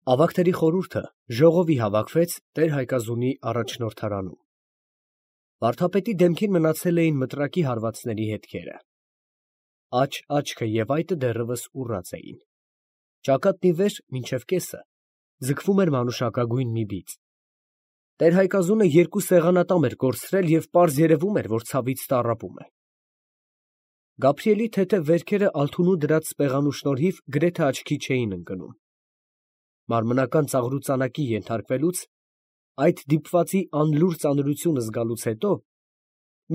Ավագների խորհուրդը ժողովի հավաքվեց Տեր-Հայկազունի առաջնորդարանում։ Վարդապետի դեմքին մնացել էին մտրակի հարվածների հետքերը։ Աջ աչքը և այտը դեռևս ուռած էին։ Ճակատն ի վեր մինչև կեսը ձգվում էր մանուշակագույն մի բիծ։ Տեր֊Հայկազունը երկու սեղանատամ էր կորցրել և պարզ երևում էր, որ ցավից տառապում է։ Գաբրիելի թեթև վերքերը Ալթունու դրած սպեղանու շնորհիվ գրեթե աչքի չէին ընկնում։ Մարմնական ծաղրուծանակի ենթարկվելուց, այդ դիպվածի անլուր ծանրությունը զգալուց հետո,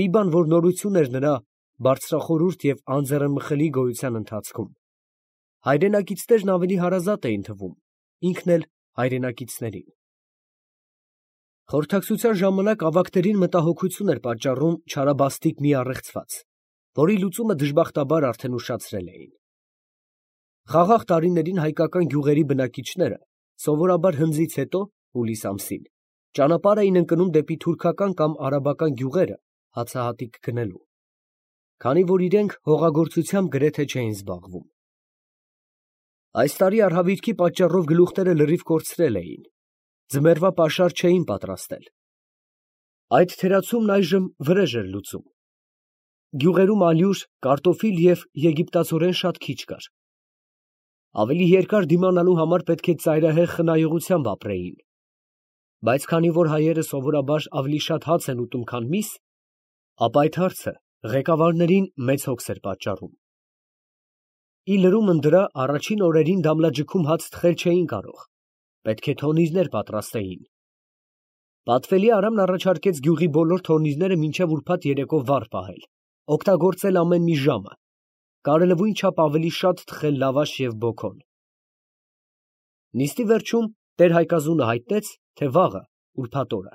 մի բան, որ նորություն էր նրա բարձրախորհուրդ և անձեռնմխելի գոյության ընթացքում, հայրենակիցներն ավելի հարազատ էին թվում, ինքն էլ հայրենակիցներին։ Խորհրդակցության ժամանակ ավագներին մտահոգություն էր պատճառում չարաբաստիկ մի առեղծված, որի լուծումը դժբախտաբար արդեն ուշացրել էին։ Խաղաղ տարիներին հայկական գյուղերի բնակիչները սովորաբար հնձից հետո, հուլիս ամսին, ճանապարհ էին ընկնում դեպի թուրքական կամ արաբական գյուղերը հացահատիկ գնելու, քանի որ իրենք հողագործությամբ գրեթե չէին զբաղվում։ Այս տարի արհավիրքի պատճառով գլուխները լրիվ կորցրել էին, ձմեռվա պաշար չէին պատրաստել։ Այդ թերացումն այժմ վրեժ էր լուծում։ Գյուղերում ալյուր, կարտոֆիլ և եգիպտացորեն շատ քիչ կար։ Ավելի երկար դիմանալու համար պետք է ծայրահեղ խնայողությամբ ապրեին, բայց քանի որ հայերը սովորաբար ավելի շատ հաց են ուտում, քան միս, ապա այդ հարցը ղեկավարներին մեծ հոգս էր պատճառում։ Ի լրումն դրա առաջին օրերին դամլաջքում հաց թխել չէին կարող, պետք է թոնիրներ պատրաստեին։ Պատվելի Արամն առաջարկեց գյուղի բոլոր թոնիրները մինչև ուրբաթ երեկո վառ պահել, օգտագործել ամեն մի ժամը, կարելույն չափ ավելի շատ թխել լավաշ և բոքոն։ Նիստի վերջում Տեր-Հայկազունը հայտնեց, թե վաղը, ուրբաթ օրը,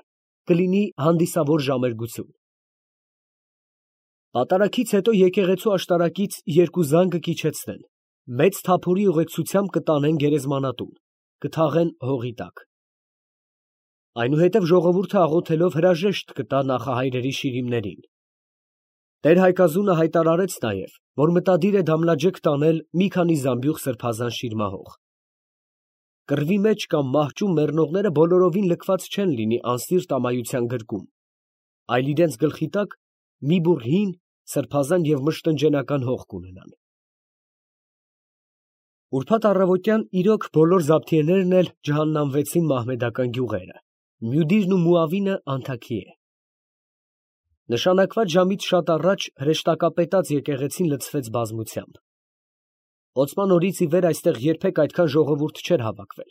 կլինի հանդիսավոր ժամերգություն։ Պատարագից հետո եկեղեցու աշտարակից երկու զանգ կիջեցնեն, մեծ թափորի ուղեկցությամբ կտանեն գերեզմանատուն, կթաղեն հողի տակ։ Այնուհետև ժողովուրդը աղոթելով հրաժեշտ կտա նախահայրերի շիրիմներին։ Տեր-Հայկազունը հայտարարեց նաև, որ մտադիր է դամլաջեկ տանել մի քանի զամբյուղ սրբազան շիրմահող։ Կռվի մեջ կամ մահճում մեռնողները բոլորովին լքված չեն լինի անսիրտ ամայության գրկում, այլ իրենց գլխի տակ մի բուռ հին, սրբազան և մշտնջենական հող կունենան։ Ուրբաթ առավոտյան իրոք բոլոր զաբթիեներն էլ ջհաննամվեցին մահմեդական գյուղերը, Մյուդիրն ու Մուավինը անթաքի է։ Նշանակված ժամից շատ առաջ հրեշտակապետած եկեղեցին լցվեց բազմությամբ։ Օծման օրից ի վեր այստեղ երբեք այդքան ժողովուրդ չէր հավաքվել։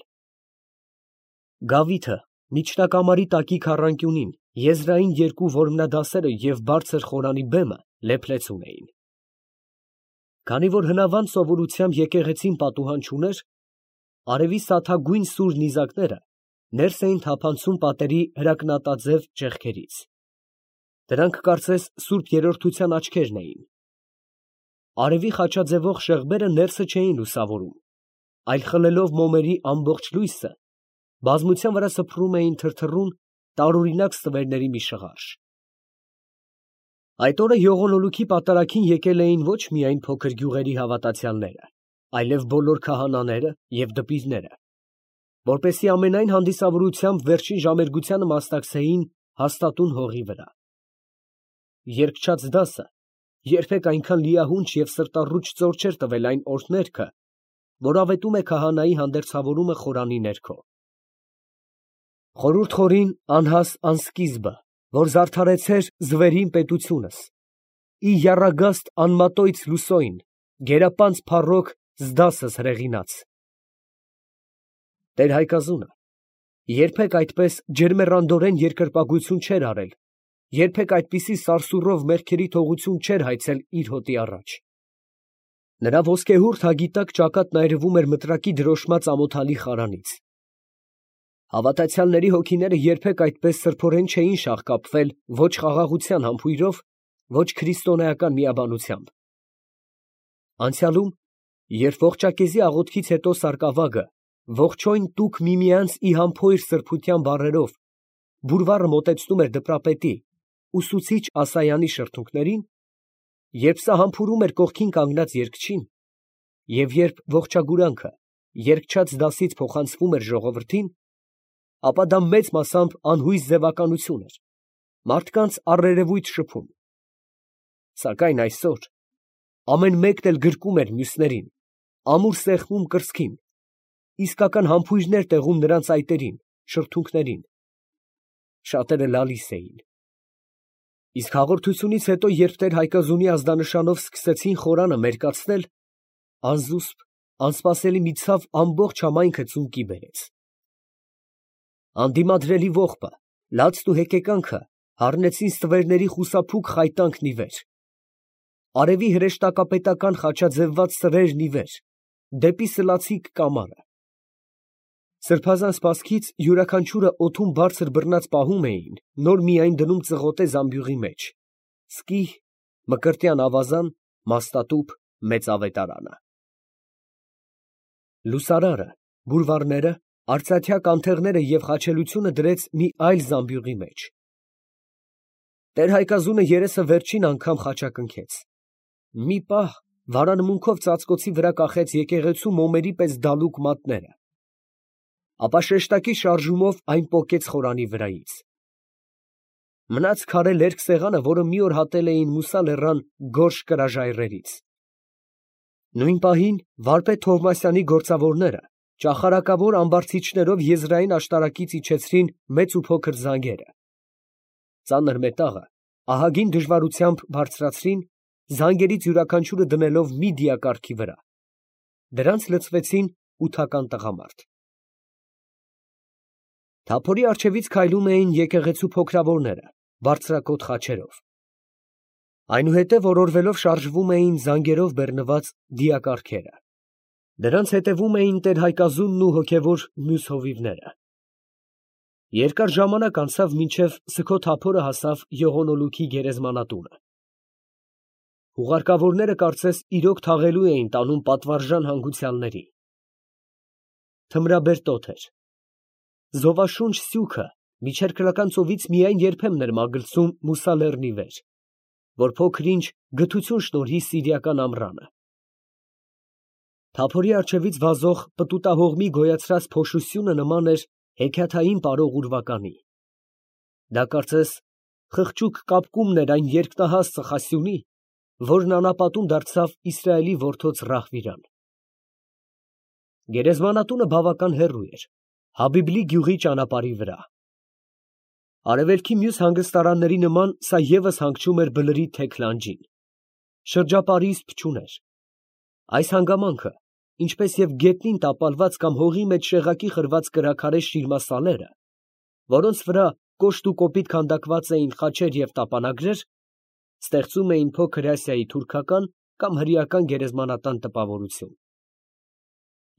Գավիթը, միջնակամարի տակի քառանկյունին, եզրային երկու որմնադասերը և բարձր խորանի բեմը լեփլեցուն էին։ Քանի որ հնավանդ սովորությամբ եկեղեցին պատուհան չուներ, արևի սաթագույն սուր նիզակները ներս էին թափանցում պատերի հրակնատաձև ճեղքերից։ Դրանք կարծես Սուրբ Երրորդության աչքերն էին։ Արևի խաչաձևող շեղբերը ներսը չէին լուսավորում, այլ խլելով մոմերի ամբողջ լույսը, բազմության վրա սփռում էին թրթռուն, տարօրինակ ստվերների մի շղարշ։ Այդ օրը յողոնոլուքի պատարագին եկել էին ոչ միայն փոքր գյուղերի հավատացյալները, այլև բոլոր քահանաները և դպիրները, որպեսզի ամենայն հանդիսավորությամբ վերջին ժամերգությանը մասնակցեին հաստատուն հողի վրա։ Երգչաց դասը երբեք այնքան լիահունչ և սրտառուչ ծոր չէր տվել այն օրհներգը, որ ավետում է քահանայի հանդերձավորումը խորանի ներքո։ Խորհուրդ խորին անհաս անսկիզբը, որ զարդարեցեր ձվերին պետությունս, ի եռագաստ անմատոյց լուսոյն, գերապանծ փառոք զդասս հրեղինաց։ Տեր-Հայկազունը երբեք այդպես ջերմեռանդորեն երկրպագություն չէր արել, երբեք այդպիսի սարսուռով մեղքերի թողություն չէր հայցել իր հոտի առաջ։ Նրա ոսկեհուրդ հագի տակ ճակատն այրվում էր մտրակի դրոշմած ամոթալի խարանից։ Հավատացյալների հոգիները երբեք այդպես սրբորեն չէին շաղկապվել ոչ խաղաղության համբույրով, ոչ քրիստոնեական միաբանությամբ։ Անցյալում, երբ ողջակեզի աղոթքից հետո սարկավագը ողջոյն տուք միմյանց ի համբույր սրբության բառերով բուրվառը մոտեցնում էր դպրապետի, ուսուցիչ Ասայանի շրթունքներին, երբ սա համբուրում էր կողքին կանգնած երգչին, և երբ ողջագուրանքը երկչած դասից փոխանցվում էր ժողովրդին, ապա դա մեծ մասամբ անհույս ձևականություն էր, մարդկանց առերևույթ շփում։ Սակայն այսօր ամեն մեկն էլ գրկում էր մյուսներին, ամուր սեղմում կրծքին, իսկական համբույրներ տեղում նրանց այտերին, շրթունքներին։ Շատերը լալիս էին։ Իսկ հաղորդությունից հետո, երբ Տեր-Հայկազունի ազդանշանով սկսեցին խորանը մերկացնել, անզուսպ, անսպասելի մի ցավ ամբողջ համայնքը ծունկի բերեց։ Անդիմադրելի ողբը, լացն ու հեկեկանքը հառնեցին ստվերների խուսափուկ խայտանքն ի վեր, արևի հրեշտակապետական խաչաձևված սրերն ի վեր, դեպի սլացիկ կամարը։ Սրբազան սպասքից յուրաքանչյուրը օդում բարձր բռնած պահում էին, նոր միայն դնում ծղոտե զամբյուղի մեջ, սկի, մկրտյան ավազան, մաստատուփ, մեծ ավետարանը։ Լուսարարը, բուրվարները, արծաթյա կանթեղները և խաչելությունը դրեց մի այլ զամբյուղի մեջ։ Տեր-Հայկազունը երեսը վերջին անգամ խաչակնքեց։ Մի պահ վարանմունքով ծածկոցի վրա կախեց եկեղեցու մոմերի պես դալուկ մատները, ապա շեշտակի շարժումով այն պոկեց խորանի վրայից։ Մնաց քարե լերկ սեղանը, որը մի օր հատել էին Մուսա լեռան գորշ կրաժայռերից։ Նույն պահին վարպետ Թովմասյանի գործավորները ճախարակավոր ամբարձիչներով եզրային աշտարակից իջեցրին մեծ ու փոքր զանգերը։ Ծանր մետաղը ահագին դժվարությամբ բարձրացրին, զանգերից յուրաքանչյուրը դնելով մի դիակառքի վրա։ Դրանց լցվեցին 8 տղամարդ։ Թափորի առջևից քայլում էին եկեղեցու փոքրավորները, բարձրակոթ խաչերով։ Այնուհետև օրորվելով շարժվում էին զանգերով բեռնված դիակառքերը։ Դրանց հետևում էին Տեր-Հայկազունն ու հոգևոր մյուս հովիվները։ Երկար ժամանակ անցավ, մինչև Սքո Թափորը հասավ Յողոնոլուքի գերեզմանատունը։ Հուղարկավորները կարծես իրոք թաղելու էին տանում պատվարժան հանգուցյալների։ Թմրաբեր տոթ էր։ Զովաշունչ սյուքը միջերկրական ծովից միայն երբեմն էր մագլցում Մուսա լեռնի վեր, որ փոքր-ինչ գթություն շնորհի սիրիական ամռանը։ Թափորի առջևից վազող պտուտահողմի գոյացրած փոշությունը նման էր հեքիաթային պարող ուրվականի։ Դա կարծես խղճուկ կապկումն էր այն երկնահաս ծխասյունի, որն անապատում դարձավ Իսրայելի որդոց Ռահվիրան։ Գերեզմանատունը բավական հեռու էր, Հաբիբլի գյուղի ճանապարհի վրա։ Արևելքի մյուս հանգստարանների նման սա ևս հանգչում էր բլրի թեք լանջին։ Շրջապարիսպ չուներ։ Այս հանգամանքը, ինչպես և գետնին տապալված կամ հողի մեջ շեղակի խրված կրաքարե շիրմասալերը, որոնց վրա կոշտ ու կոպիտ քանդակված էին խաչեր և տապանագրեր, ստեղծում էին փոքր Ասիայի թուրքական կամ հրեական գերեզմանատան տպավորություն։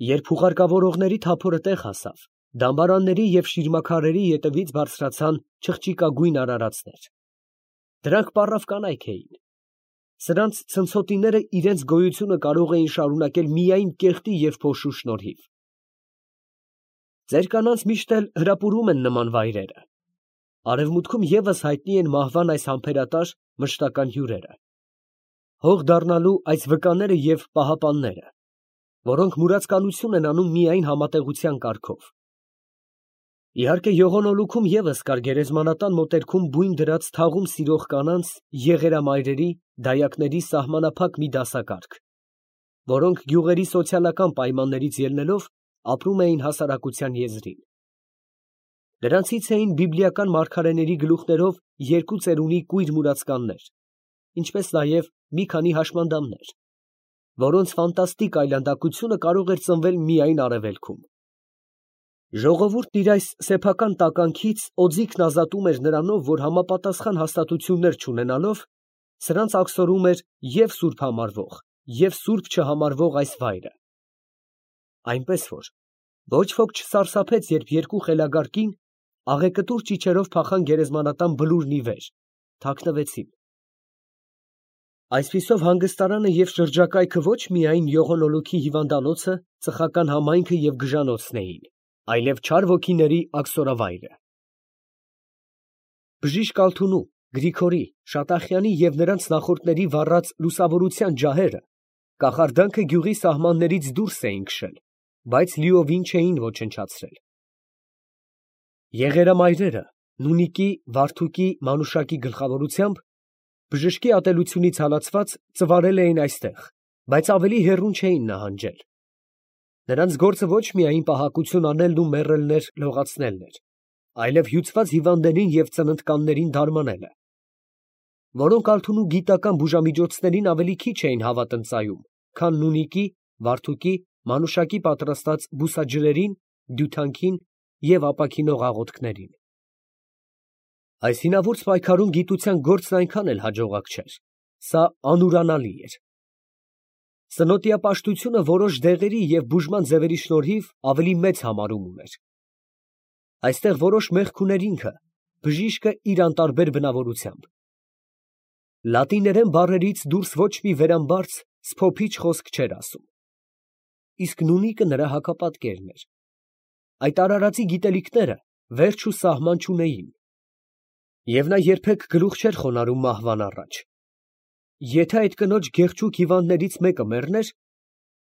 Երբ հուղարկավորողների թափորը տեղ հասավ, դամբարանների և շիրմաքարերի ետևից բարձրացան չղջիկագույն արարածներ։ Դրանք պառավ կանայք էին։ Սրանց ցնցոտիները իրենց գոյությունը կարող էին շարունակել միայն կեղտի և փոշու շնորհիվ։ Ձեր կանանց միշտ էլ հրապուրում են նման վայրերը։ Արևմուտքում ևս հայտնի են մահվան այս համբերատար մշտական հյուրերը։ Հող դառնալու այս վկաները և պահապանները, որոնք մուրացկանություն են անում միայն համատեղության կարգով։ Իհարկե, Յողոնոլուքում ևս կար գերեզմանատան մոտերքում բույն դրած թաղում սիրող կանանց, եղերամայրերի, դայակների սահմանափակ մի դասակարգ, որոնք գյուղերի սոցիալական պայմաններից ելնելով ապրում էին հասարակության եզրին։ Դրանցից էին բիբլիական մարգարեների գլուխներով 2 ծերունի կույր մուրացկաններ, ինչպես նաև մի քանի հաշմանդամներ, որոնց ֆանտաստիկ այլանդակությունը կարող էր ծնվել միայն արևելքում։ Ժողովուրդն իր այս սեփական տականքից օձիքն ազատում էր նրանով, որ համապատասխան հաստատություններ չունենալով, սրանց աքսորում էր և սուրբ համարվող, և սուրբ չհամարվող այս վայրը։ Այնպես որ ոչ ոք չսարսափեց, երբ երկու խելագար կին աղեկտուր ճիչերով փախան գերեզմանատան բլուրն ի վեր, թաքնվեցին։ Այսպիսով հանգստարանը և շրջակայքը ոչ միայն Յողոնոլուքի հիվանդանոցը, ծխական համայնքը և գժանոցն էին, այլև չար ոգիների աքսորավայրը։ Բժիշկ Ալթունու, Գրիգորի, Շատախյանի և նրանց նախորդների վառած լուսավորության ջահերը կախարդանքը գյուղի սահմաններից դուրս էին քշել բայց լիովին չէին ոչնչացրել։ Եղերամայրերը Նունիկի, Վարդուկի, Մանուշակի գլխավորությամբ բժշկի ատելությունից հալածված ծվարել էին այստեղ, բայց ավելի հեռուն չէին նահանջել։ Նրանց գործը ոչ միայն պահակություն անելն ու մեռելներ լողացնելն էր, այլև հյուծված հիվանդներին և ծննդկաններին դարմանելը, որոնք Ալթունու գիտական բուժամիջոցներին ավելի քիչ էին հավատնծայում, քան Նունիկի, Վարդուկի, Մանուշակի պատրաստած բուսաջրերին, դյութանքին և ապաքինող աղոթքներին։ Այս հինավուրց պայքարում գիտության գործն այնքան էլ հաջողակ չէր, սա անուրանալի էր։ Սնոտիապաշտությունը որոշ դեղերի և բուժման ձևերի շնորհիվ ավելի մեծ համարում ուներ։ Այստեղ որոշ մեղք ուներ ինքը, բժիշկը իր անտարբեր բնավորությամբ։ Լատիներեն բառերից դուրս ոչ մի վերամբարձ, սփոփիչ խոսք չէր ասում։ Իսկ Նունիկը նրա հակապատկերն էր։ Այդ արարածի գիտելիքները վերջ ու սահման չունեին։ Եվ նա երբեք գլուխ չէր խոնարհում մահվան առաջ։ Եթե այդ կնոջ գեղեցիկ հիվանդներից մեկը մեռներ,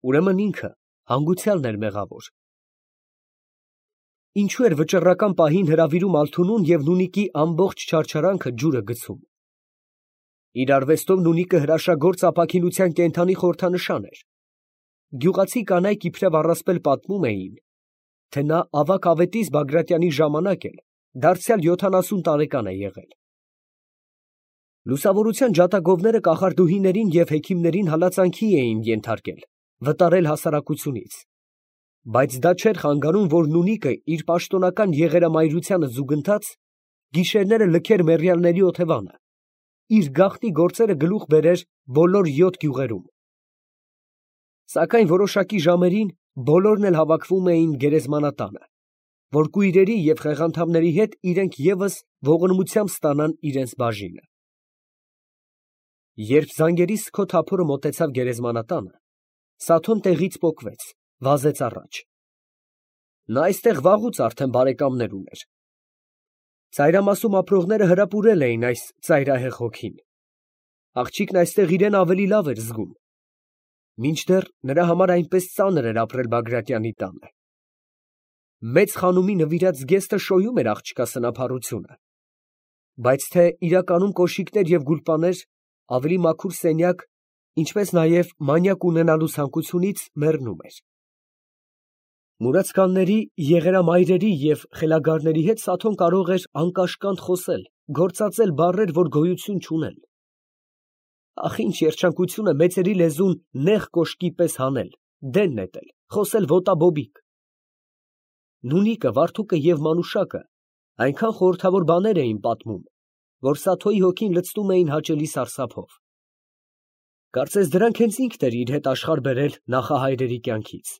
ուրեմն ինքը հանգուցյալն էր մեղավոր։ Ինչու էր վճռական պահին հրավիրում Ալթունուն և Նունիկի ամբողջ չարչարանքը ջուրը գցում։ Իր արվեստով Նունիկը հրաշագործ ապաքինության կենդանի խորհրդանշան էր։ Գյուղացի կանայք իբրև առասպել պատմում էին, թե նա ավագ ավետիս Բագրատյանի ժամանակ էլ դարձյալ 70 տարեկան է եղել։ Լուսավորության ջատագովները կախարդուհիներին և հեքիմներին հալածանքի էին ենթարկել, վտարել հասարակությունից, բայց դա չէր խանգարում, որ Նունիկը իր պաշտոնական եղերամայրությանը զուգընթաց գիշերները լքեր մեռյալների օթևանը, իր գաղտնի գործերը գլուխ բերեր բոլոր 7 գյուղերում։ Սակայն որոշակի ժամերին բոլորն էլ հավաքվում էին գերեզմանատանը, որ կույրերի և խեղանդամների հետ իրենք ևս ողորմությամբ ստանան իրենց բաժինը։ Երբ զանգերի սգո թափորը մոտեցավ գերեզմանատանը, Սաթոն տեղից պոկվեց, վազեց առաջ։ Նա այստեղ վաղուց արդեն բարեկամներ ուներ։ Ծայրամասում ապրողները հրապուրել էին այս ծայրահեղ հոգին։ Աղջիկն այստեղ իրան ավելի լավ էր զգում, մինչդեռ նրա համար այնպես ծանր էր ապրել Բագրատյանի տանը։ Մեծ խանումի նվիրած զգեստը շոյում էր աղջկա սնափառությունը, բայց թե իրականում կոշիկներ և գուլպաներ, ավելի մաքուր սենյակ, ինչպես նաև մանյակ ունենալու ցանկությունից մեռնում էր։ Մուրացկանների, եղերամայրերի և խելագարների հետ Սաթոն կարող էր անկաշկանդ խոսել, գործածել բառեր, որ գոյություն չունեն։ Ախ, ինչ երջանկություն է մեծերի լեզուն նեղ կոշկի պես հանել, դեն նետել, խոսել ոտաբոբիկ։ Նունիկը, Վարդուկը և Մանուշակը այնքան խորհրդավոր բաներ էին պատմում, որ Սաթոյի հոգին լցնում էին հաճելի սարսափով։ Կարծես դրանք հենց ինքն էր իր հետ աշխարհ բերել նախահայրերի կյանքից։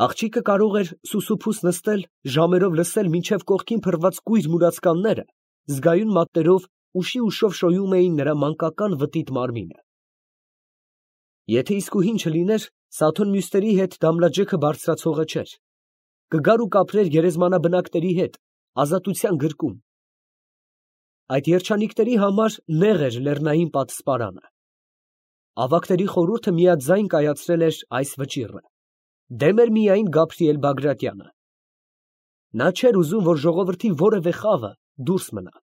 Աղջիկը կարող էր սուսուփուս նստել, ժամերով լսել, մինչև կողքին փռված կույր մուրացկանները զգայուն մատներով ուշի ուշով շոյում էին նրա մանկական վտիտ մարմինը։ Եթե իսկուհին չլիներ, Սաթոն մյուսների հետ դամլաջեքը բարձրացողը չէր, կգար ու կապրեր գերեզմանաբնակների հետ, ազատության գրկում։ Այդ երջանիկների համար նեղ էր լեռնային պատսպարանը։ Ավագների խորհուրդը միաձայն կայացրել էր այս վճիռը, դեմ էր միայն Գաբրիել Բագրատյանը։ Նա չէր ուզում, որ ժողովրդի որևէ խավը դուրս մնա։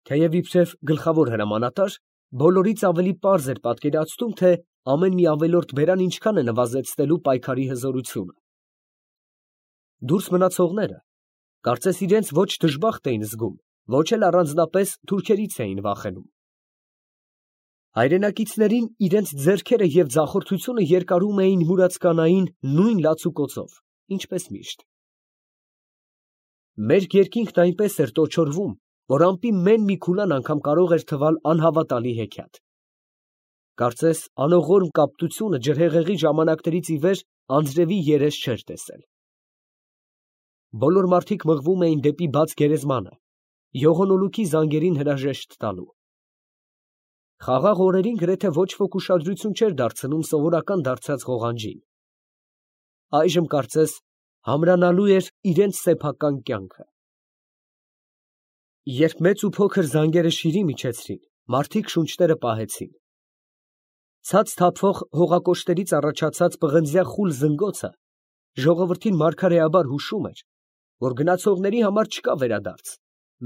Թեև իբրև գլխավոր հրամանատար, բոլորից ավելի պարզ էր պատկերացնում, թե ամեն մի ավելորդ բերան ինչքան է նվազեցնելու պայքարի հզորությունը։ Դուրս մնացողները կարծես իրենց ոչ դժբախտ էին զգում, ոչ էլ առանձնապես թուրքերից էին վախենում։ Հայրենակիցներին իրենց ձեռքերը և ձախորդությունը երկարում էին մուրացկանային նույն լացուկոցով, ինչպես միշտ։ Մեր երկինքն այնպես էր տոչորվում, որ ամպի մեն մի քուլան անգամ կարող էր թվալ անհավատալի հեքիաթ։ Կարծես անողորմ կապտությունը ջրհեղեղի ժամանակներից ի վեր անձրևի երես չէր տեսել։ Բոլոր մարդիկ մղվում էին դեպի բաց գերեզմանը, յողոնոլուքի զանգերին հրաժեշտ տալու։ Խաղաղ օրերին գրեթե ոչ ոք ուշադրություն չէր դարձնում սովորական դարձած ղողանջին։ Այժմ կարծես համրանալու էր իրենց սեփական կյանքը։ Երբ մեծ ու փոքր զանգերը շիրիմիջեցրին, մարդիկ շունչները պահեցին։ Ցած թափվող հողակոշտերից առաջացած պղնձյա խուլ զնգոցը ժողովրդին մարգարեաբար հուշում էր, որ գնացողների համար չկա վերադարձ,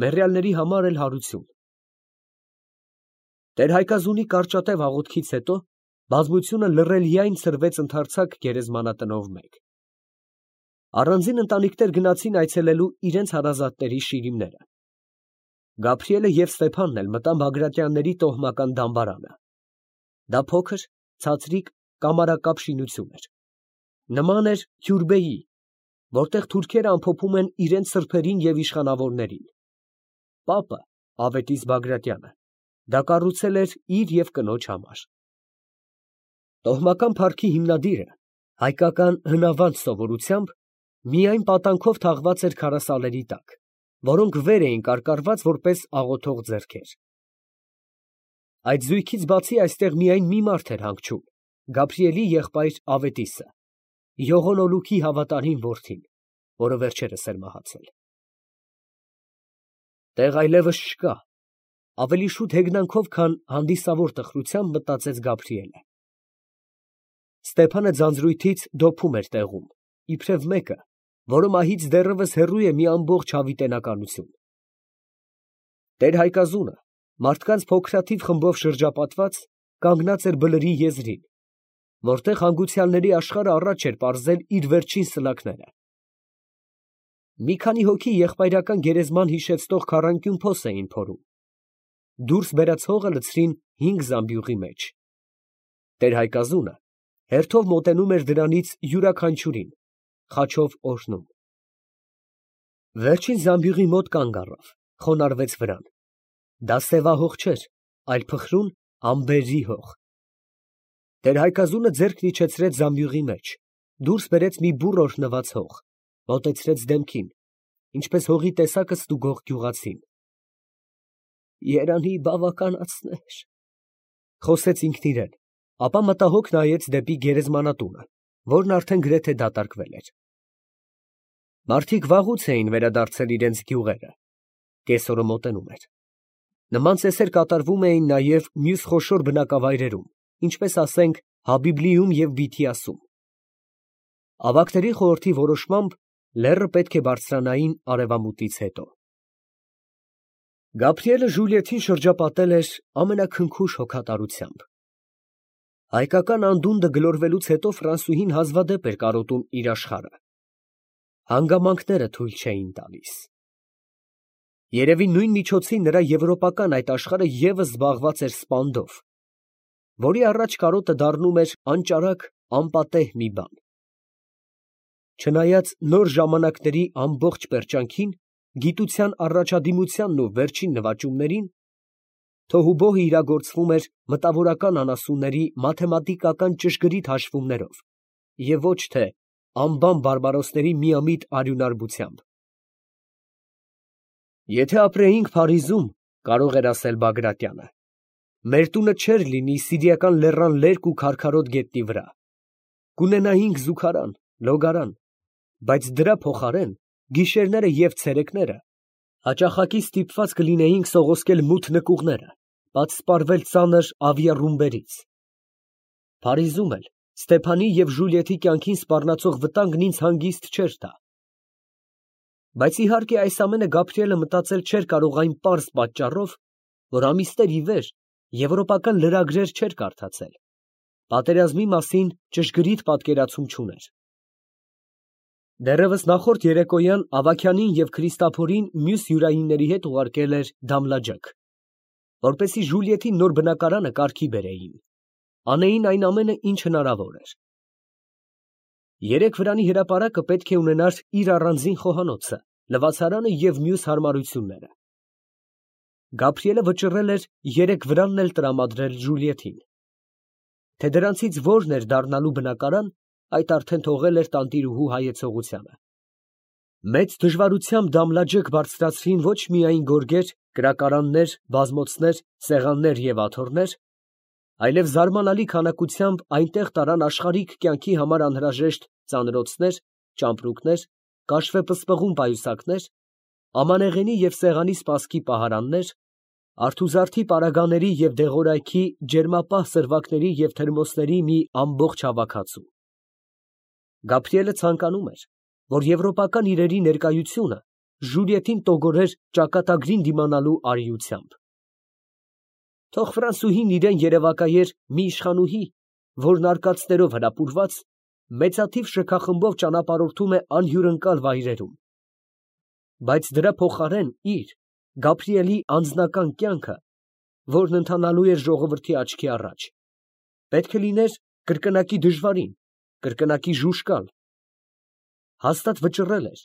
մեռյալների համար էլ հարություն։ Տեր-Հայկազունի կարճատև աղոթքից հետո բազմությունը լռելիայն ցրվեց ընդարձակ գերեզմանատնով մեկ։ Առանձին ընտանիքներ գնացին այցելելու իրենց հարազատների շիրիմները։ Գաբրիելը և Ստեփանն էլ մտան Բագրատյանների տոհմական դամբարանը։ Դա փոքր, ցածրիկ, կամարակապ շինություն էր։ Նման էր հյուրբեի, որտեղ թուրքերը ամփոփում են իրենց սրբերին և իշխանավորներին։ Պապը, Ավետիս Բագրատյանը, դա կառուցել էր իր և կնոջ համար։ Տոհմական փառքի հիմնադիրը հայկական հնավանդ սովորությամբ միայն պատանքով թաղված էր քարասալերի տակ, որոնք վեր էին կարկառված որպես աղոթող ձեռքեր։ Այդ զույգից բացի այստեղ միայն մի մարդ էր հանգչում, Գաբրիելի եղբայր Ավետիսը, Յողոնոլուքի հավատարիմ որդին, որը վերջերս էր մահացել։ Տեղ այլևս չկա, ավելի շուտ հեգնանքով, քան հանդիսավոր տխրությամբ մտածեց Գաբրիելը։ Ստեփանը ձանձրույթից դոփում էր տեղում, իբրև մեկը, որը մահից դեռևս հեռու է մի ամբողջ հավիտենականություն։ Տեր-Հայկազունը, մարդկանց փոքրաթիվ խմբով շրջապատված, կանգնած էր բլրի եզրին, որտեղ հանգուցյալների աշխարհը առաջ էր պարզել իր վերջին սլաքները։ Մի քանի հոգի եղբայրական գերեզման հիշեցնող քառանկյուն փոս էին փորում։ Դուրս բերած հողը լցրին 5 զամբյուղի մեջ։ Տեր-Հայկազունը հերթով մոտենում էր դրանից յուրաքանչյուրին, խաչով օրհնում։ Վերջին զամբյուղի մոտ կանգ առավ, խոնարհվեց վրան։ Դա սևահող չէր, այլ փխրուն ամբերի հող։ Տեր-Հայկազունը ձեռքն իջեցրեց զամբյուղի մեջ, դուրս բերեց մի բուռ օրհնված հող, մոտեցրեց դեմքին, ինչպես հողի տեսակը ստուգող գյուղացին։ Երանի բավականացներ, խոսեց ինքն իրեն, ապա մտահոգ նայեց դեպի գերեզմանատունը, որն արդեն գրեթե դատարկվել էր։ Մարդիկ վաղուց էին վերադարձել իրենց գյուղերը, կեսօրը մոտենում էր։ Նման ծեսեր կատարվում էին նաև մյուս խոշոր բնակավայրերում, ինչպես ասենք Հաբիբլիում և Բիթիասում։ Ավագների խորհրդի որոշմամբ լեռը պետք է բարձրանային արևամուտից հետո։ Գաբրիելը Ժուլիետին շրջապատել էր ամենաքնքուշ հոգատարությամբ։ Հայկական անդունդը գլորվելուց հետո Ֆրանսուհին հազվադեպ էր կարոտում իր աշխարհը։ Հանգամանքները թույլ չէին տալիս։ Երևի նույն միջոցին նրա եվրոպական այդ աշխարհը ևս զբաղված էր սպանդով, որի առաջ կարոտը դառնում էր անճարակ, անպատեհ մի բան։ Չնայած նոր ժամանակների ամբողջ պերճանքին, գիտության առաջադիմությանն ու վերջին նվաճումներին, թոհուբոհը իրագործվում էր մտավորական անասունների մաթեմատիկական ճշգրիտ հաշվումներով և ոչ թե անբան բարբարոսների միամիտ արյունարբությամբ։ Եթե ապրեինք Փարիզում, կարող էր ասել Բագրատյանը, մեր տունը չէր լինի Սիրիական լեռան լերկ ու քարքարոտ գետնի վրա, կունենայինք զուգարան, լոգարան, բայց դրա փոխարեն գիշերները և ցերեկները հաճախակի ստիպված կլինեինք սողոսկել մութ նկուղները, պատսպարվել ծանր ավիառումբերից։ Փարիզում էլ Ստեփանի և Ժուլիետի կյանքին սպառնացող վտանգն ինձ հանգիստ չէր տա։ Բայց իհարկե այս ամենը Գաբրիելը մտածել չէր կարող այն պարզ պատճառով, որ ամիսներ ի վեր եվրոպական լրագրեր չէր կարդացել, պատերազմի մասին ճշգրիտ պատկերացում չուներ։ Դեռևս նախորդ երեկոյան Ավագյանին և Քրիստափորին մյուս յուրայինների հետ ուղարկել էր Դամլաջակ, որպեսզի Ժուլիետի նոր բնակարանը կարգի բերեին, անեին այն ամենը, ինչ հնարավոր էր։ Երեք վրանի հրապարակը պետք է ունենար իր առանձին խոհանոցը, լվացարանը և մյուս հարմարությունները։ Գաբրիելը վճռել էր երեք վրանն էլ տրամադրել Ժուլիետին։ Թե դրանցից որն էր դառնալու բնակարան, այդ արդեն թողել էր տանտիրուհու հայեցողությանը։ Մեծ դժվարությամբ Դամլաջակ բարձրացրին ոչ միայն գորգեր, կրակարաններ, բազմոցներ, սեղաններ և աթոռներ, այլև զարմանալի քանակությամբ այնտեղ տարան աշխարհիկ կյանքի համար անհրաժեշտ ծանրոցներ, ճամպրուկներ, կաշվե պսպղուն պայուսակներ, ամանեղենի և սեղանի սպասքի պահարաններ, Արթուզարդի պարագաների և դեղորայքի ջերմապահ սրվակների և թերմոսների մի ամբողջ հավաքածու։ Գաբրիելը ցանկանում էր, որ եվրոպական իրերի ներկայությունը Ժուլիետին տոգորեր ճակատագրին դիմանալու արիությամբ։ Թող Ֆրանսուհին իրան երևակայեր մի իշխանուհի, որն արկածներով հրապուրված, մեծաթիվ շքախմբով ճանապարհորդում է անհյուրընկալ վայրերում, բայց դրա փոխարեն իր Գաբրիելի անձնական կյանքը, որն ընթանալու էր ժողովրդի աչքի առաջ, պետք է լիներ կրկնակի դժվարին, կրկնակի ժուժկալ։ Հաստատ վճռել էր,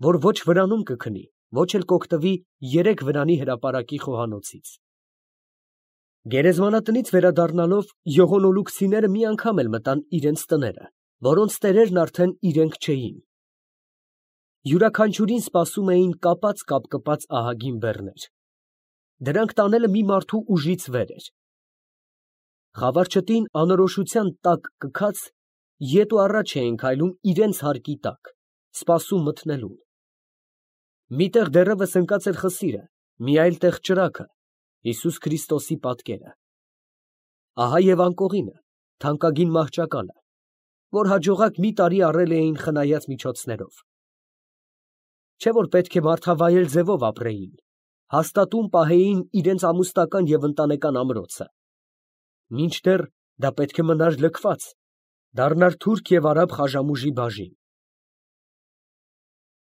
որ ոչ վրանում կքնի, ոչ էլ կօգտվի 3 վրանի հրապարակի խոհանոցից։ Գերեզմանատնից վերադառնալով յողոնոլուկցիները մի անգամ էլ մտան իրենց տները, որոնց տերերն արդեն իրենք չէին։ Յուրաքանչյուրին սպասում էին կապած ահագին բեռներ։ Դրանք տանելը մի մարդու ուժից վեր էր։ Խավարչտին անորոշության տակ կքած ետ ու առաջ էին քայլում իրենց հարկի տակ, սպասում մտնելուն։ Մի տեղ դեռևս ընկած էր խսիրը, մի այլ տեղ ճրագը, Հիսուս Քրիստոսի պատկերը։ Ահա և անկողինը, թանկագին մահճակալը, որ հաջողակ մի տարի առել էին խնայած միջոցներով։ Չէ՞ որ պետք է մարդավայել ձևով ապրեին, հաստատուն պահեին իրենց ամուսնական և ընտանեկան ամրոցը։ Մինչդեռ դա պետք է մնար լքված, դառնար թուրք և արաբ խաժամուժի բաժին։